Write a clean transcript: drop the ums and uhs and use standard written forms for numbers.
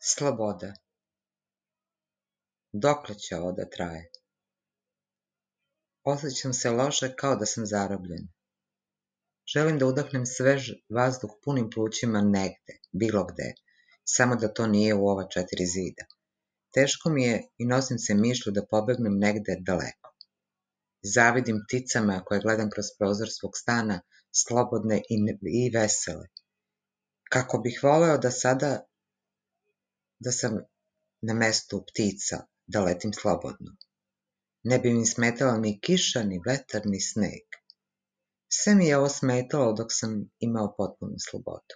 Sloboda. Dokle će ovo da traje? Osjećam se loše kao da sam zarobljen. Želim da udahnem svež vazduh punim plućima negde, bilo gde, samo da to nije u ova 4 zida. Teško mi je i nosim se mišlju da pobegnem negde daleko. Zavidim pticama koje gledam kroz prozor svog stana, slobodne i vesele. Kako bih voleo da sam na mestu ptica, da letim slobodno. Ne bi mi smetala ni kiša, ni vetar, ni sneg. Sve mi je ovo smetalo dok sam imao potpunu slobodu.